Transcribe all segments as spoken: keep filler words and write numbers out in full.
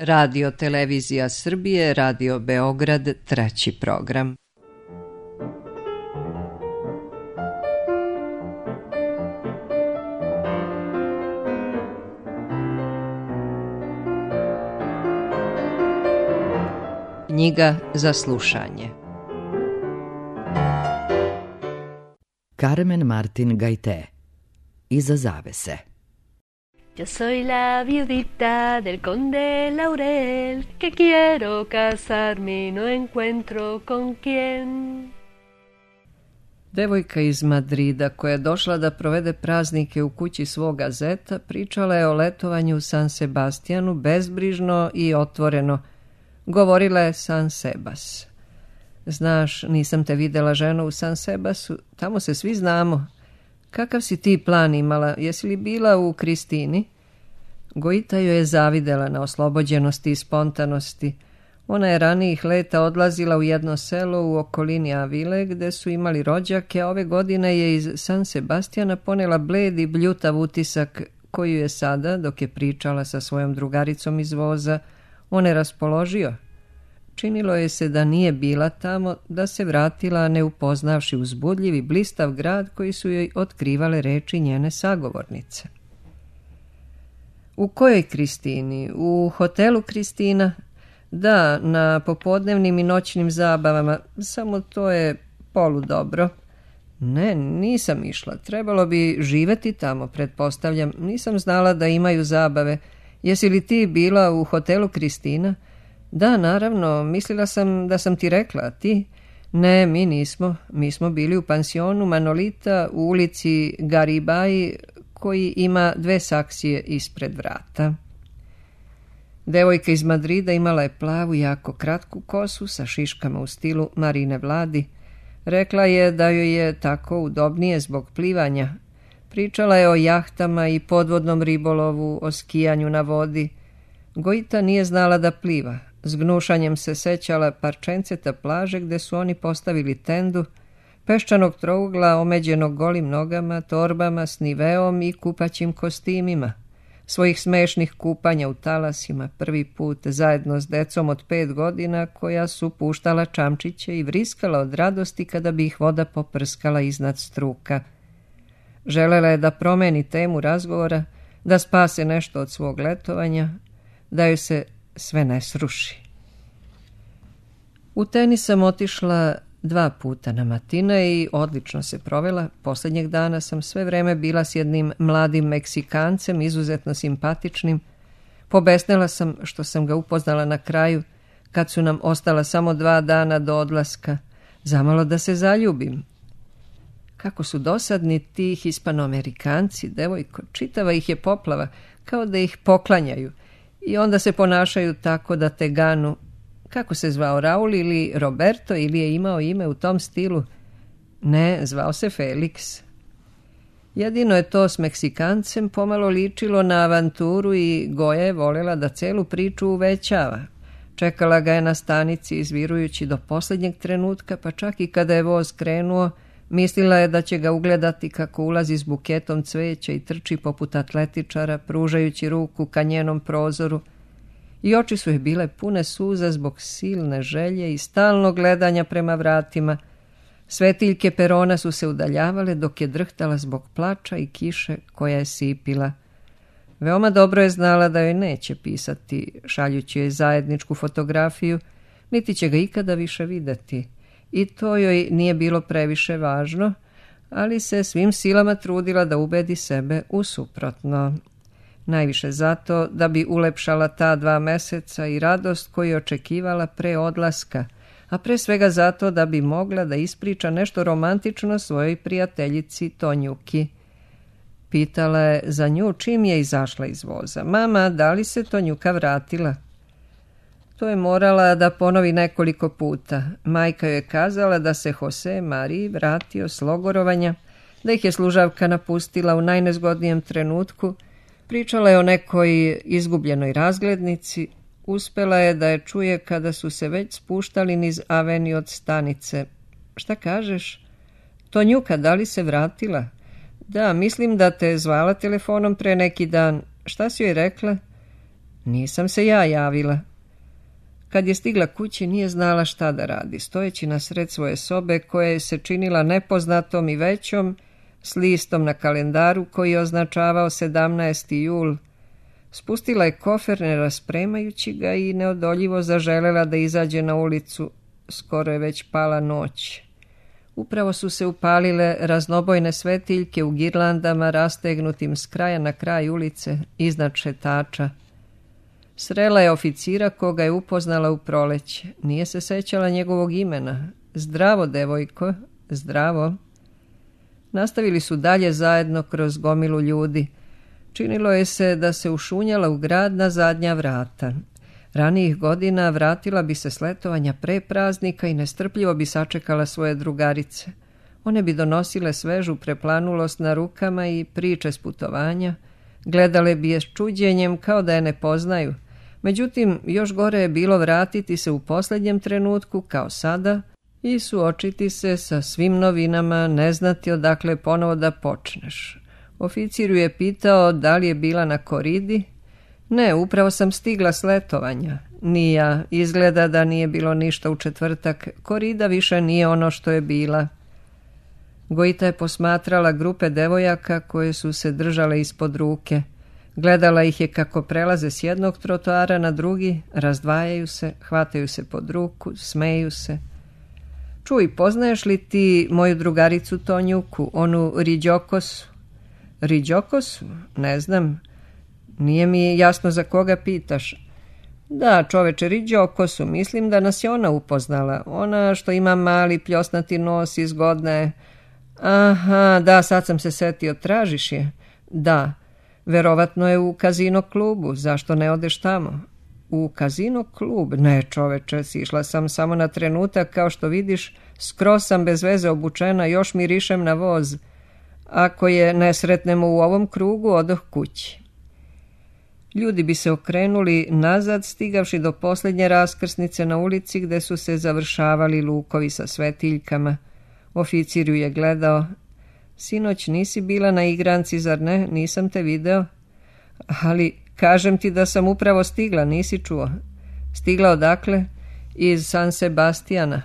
Radio Televizija Srbije, Radio Beograd, treći program. Knjiga za slušanje. Carmen Martin Gaité. Iza zavese. Yo soy la viudita del conde Laurel, que quiero casarme y no encuentro con quién. Devojka iz Madrida, koja je došla da provede praznike u kući svoga zeta, pričala je o letovanju u San Sebastijanu bezbrižno i otvoreno. Govorila je San Sebas. Znaš, nisam te videla, ženo, u San Sebasu, tamo se svi znamo. Kakav si ti plan imala? Jesi li bila u Kristini? Gojita joj je zavidela na oslobođenosti i spontanosti. Ona je ranijih leta odlazila u jedno selo u okolini Avile, gde su imali rođake, a ove godine je iz San Sebastijana ponela bled i bljutav utisak, koju je sada, dok je pričala sa svojom drugaricom iz voza, on je raspoložio. Činilo je se da nije bila tamo, da se vratila ne upoznavši uzbudljiv i blistav grad koji su joj otkrivale reči njene sagovornice. U kojoj Kristini? U hotelu Kristina? Da, na popodnevnim i noćnim zabavama, samo to je poludobro. Ne, nisam išla, trebalo bi živeti tamo, pretpostavljam, nisam znala da imaju zabave. Jesi li ti bila u hotelu Kristina? Da, naravno, mislila sam da sam ti rekla, a ti? Ne, mi nismo. Mi smo bili u pansionu Manolita u ulici Garibaji, koji ima dve saksije ispred vrata. Devojka iz Madrida imala je plavu, jako kratku kosu sa šiškama u stilu Marine Vladi. Rekla je da joj je tako udobnije zbog plivanja. Pričala je o jahtama i podvodnom ribolovu, o skijanju na vodi. Gojita nije znala da pliva. S gnušanjem se sećala parčenceta plaže gde su oni postavili tendu, peščanog trougla omeđenog golim nogama, torbama s niveom i kupaćim kostimima, svojih smešnih kupanja u talasima prvi put zajedno s decom od pet godina koja su puštala čamčiće i vriskala od radosti kada bi ih voda poprskala iznad struka. Želela je da promeni temu razgovora, da spase nešto od svog letovanja, da joj se sve ne sruši. U tenis sam otišla dva puta na matine i odlično se provela. Poslednjeg dana sam sve vreme bila s jednim mladim Meksikancem, izuzetno simpatičnim. Pobesnela sam što sam ga upoznala na kraju, kad su nam ostala samo dva dana do odlaska. Zamalo da se zaljubim. Kako su dosadni ti Hispanoamerikanci, devojko, čitava ih je poplava, kao da ih poklanjaju. I onda se ponašaju tako da te ganu. Kako se zvao, Raul ili Roberto, ili je imao ime u tom stilu? Ne, zvao se Felix. Jedino je to s Meksikancem pomalo ličilo na avanturu i Goja je voljela da celu priču uvećava. Čekala ga je na stanici izvirujući do posljednjeg trenutka, pa čak i kada je voz krenuo, mislila je da će ga ugledati kako ulazi s buketom cveća i trči poput atletičara, pružajući ruku ka njenom prozoru. I oči su joj bile pune suza zbog silne želje i stalnog gledanja prema vratima. Svetiljke perona su se udaljavale dok je drhtala zbog plača i kiše koja je sipila. Veoma dobro je znala da joj neće pisati, šaljući joj zajedničku fotografiju, niti će ga ikada više videti. I to joj nije bilo previše važno, ali se svim silama trudila da ubedi sebe u suprotno. Najviše zato da bi ulepšala ta dva meseca i radost koju je očekivala pre odlaska, a pre svega zato da bi mogla da ispriča nešto romantično svojoj prijateljici Tonjuki. Pitala je za nju čim je izašla iz voza. Mama, da li se Tonjuka vratila? To je morala da ponovi nekoliko puta. Majka joj je kazala da se Jose Mariji vratio s logorovanja, da ih je služavka napustila u najnezgodnijem trenutku. Pričala je o nekoj izgubljenoj razglednici. Uspela je da je čuje kada su se već spuštali niz aveni od stanice. Šta kažeš? Tonjuka, da li se vratila? Da, mislim da te zvala telefonom pre neki dan. Šta si joj rekla? Nisam se ja javila. Kad je stigla kući nije znala šta da radi, stojeći na sred svoje sobe koja je se činila nepoznatom i većom, s listom na kalendaru koji je označavao sedamnaesti jul. Spustila je kofer ne raspremajući ga i neodoljivo zaželela da izađe na ulicu. Skoro je već pala noć. Upravo su se upalile raznobojne svetiljke u girlandama rastegnutim s kraja na kraj ulice iznad šetača. Srela je oficira koga je upoznala u proleće. Nije se sećala njegovog imena. Zdravo, devojko, zdravo. Nastavili su dalje zajedno kroz gomilu ljudi. Činilo je se da se ušunjala u grad na zadnja vrata. Ranijih godina vratila bi se s letovanja pre praznika i nestrpljivo bi sačekala svoje drugarice. One bi donosile svežu preplanulost na rukama i priče s putovanja. Gledale bi je s čuđenjem kao da je ne poznaju. Međutim, još gore je bilo vratiti se u posljednjem trenutku, kao sada, i suočiti se sa svim novinama, ne znati odakle ponovo da počneš. Oficir ju je pitao da li je bila na koridi. Ne, upravo sam stigla s letovanja. Ni ja, izgleda da nije bilo ništa u četvrtak. Korida više nije ono što je bila. Gojita je posmatrala grupe devojaka koje su se držale ispod ruke. Gledala ih je kako prelaze s jednog trotoara na drugi, razdvajaju se, hvataju se pod ruku, smeju se. Čuj, poznaješ li ti moju drugaricu Tonjuku, onu Riđokosu? Riđokosu? Ne znam. Nije mi jasno za koga pitaš. Da, čoveče, Riđokosu, mislim da nas je ona upoznala. Ona što ima mali pljosnati nos i zgodna je. Aha, da, sad sam se setio, tražiš je? Da, verovatno je u kazino klubu, zašto ne odeš tamo? U kazino klub? Ne, čoveče, sišla sam samo na trenutak, kao što vidiš, skroz sam bez veze obučena, još mirišem na voz. Ako je ne sretnemo u ovom krugu, odoh kući. Ljudi bi se okrenuli nazad, stigavši do posljednje raskrsnice na ulici gde su se završavali lukovi sa svetiljkama. Oficir ju je gledao. Sinoć nisi bila na igranci, zar ne? Nisam te video. Ali kažem ti da sam upravo stigla, nisi čuo? Stigla odakle? Iz San Sebastijana.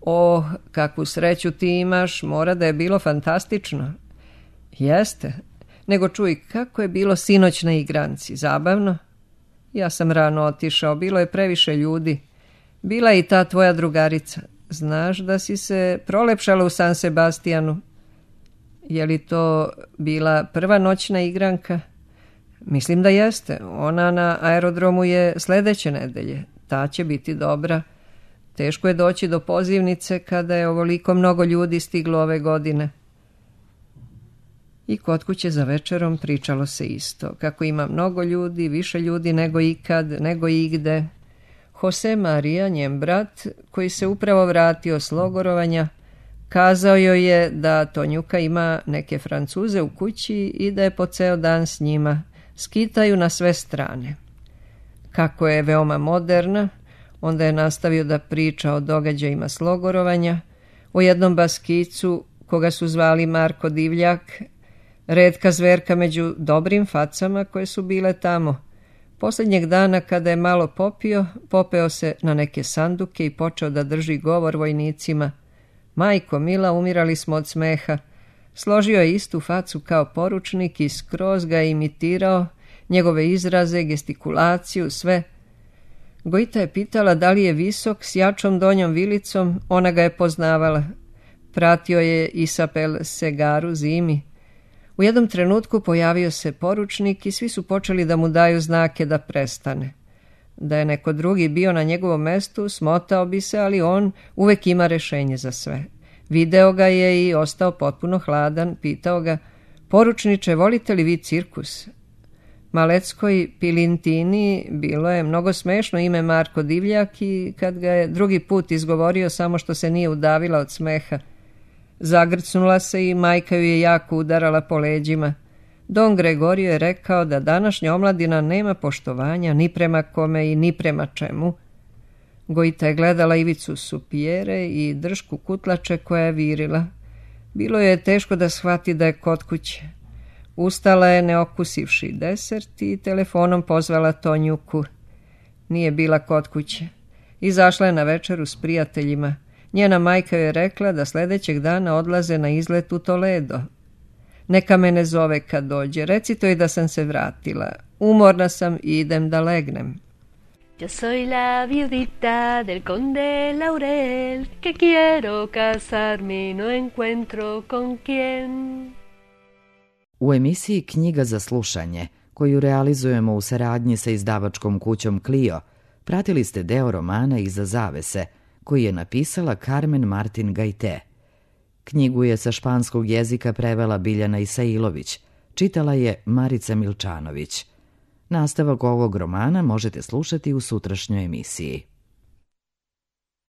O, kakvu sreću ti imaš, mora da je bilo fantastično. Jeste. Nego čuj, kako je bilo sinoć na igranci, zabavno? Ja sam rano otišao, bilo je previše ljudi. Bila je i ta tvoja drugarica. Znaš da si se prolepšala u San Sebastijanu? Je li to bila prva noćna igranka? Mislim da jeste. Ona na aerodromu je sledeće nedelje. Ta će biti dobra. Teško je doći do pozivnice kada je ovoliko mnogo ljudi stiglo ove godine. I kod kuće za večerom pričalo se isto. Kako ima mnogo ljudi, više ljudi nego ikad, nego igde. Jose Maria, njen brat, koji se upravo vratio s logorovanja, kazao joj je da Tonjuka ima neke Francuze u kući i da je po ceo dan s njima. Skitaju na sve strane. Kako je veoma moderna, onda je nastavio da priča o događajima s logorovanja, o jednom baskicu koga su zvali Marko Divljak, retka zverka među dobrim facama koje su bile tamo. Posljednjeg dana kada je malo popio, popeo se na neke sanduke i počeo da drži govor vojnicima. Majko mila, umirali smo od smeha. Složio je istu facu kao poručnik i skroz ga je imitirao, njegove izraze, gestikulaciju, sve. Gojita je pitala da li je visok, s jačom donjom vilicom, ona ga je poznavala. Pratio je Isabel Segaru zimi. U jednom trenutku pojavio se poručnik i svi su počeli da mu daju znake da prestane. Da je neko drugi bio na njegovom mestu, smotao bi se, ali on uvek ima rešenje za sve. Video ga je i ostao potpuno hladan, pitao ga, poručniče, volite li vi cirkus? Maleckoj Pilintini bilo je mnogo smešno ime Marko Divljak i kad ga je drugi put izgovorio samo što se nije udavila od smeha. Zagrcnula se i majka ju je jako udarala po leđima. Don Gregorio je rekao da današnja omladina nema poštovanja ni prema kome i ni prema čemu. Gojita je gledala ivicu supijere i držku kutlače koja je virila. Bilo je teško da shvati da je kod kuće. Ustala je ne okusivši desert i telefonom pozvala Tonjuku. Nije bila kod kuće. Izašla je na večeru s prijateljima. Njena majka je rekla da sljedećeg dana odlaze na izlet u Toledo. Neka me ne zove kad dođe, recito i da sam se vratila. Umorna sam i idem da legnem. Yo soy la viudita del conde Laurel, que quiero casarme y no encuentro con quién. U emisiji Knjiga za slušanje, koju realizujemo u saradnji sa izdavačkom kućom Clio, pratili ste deo romana Iza zavese, koji je napisala Carmen Martin Gajte. Knjigu je sa španskog jezika prevela Biljana Isailović, čitala je Marica Milčanović. Nastavak ovog romana možete slušati u sutrašnjoj emisiji.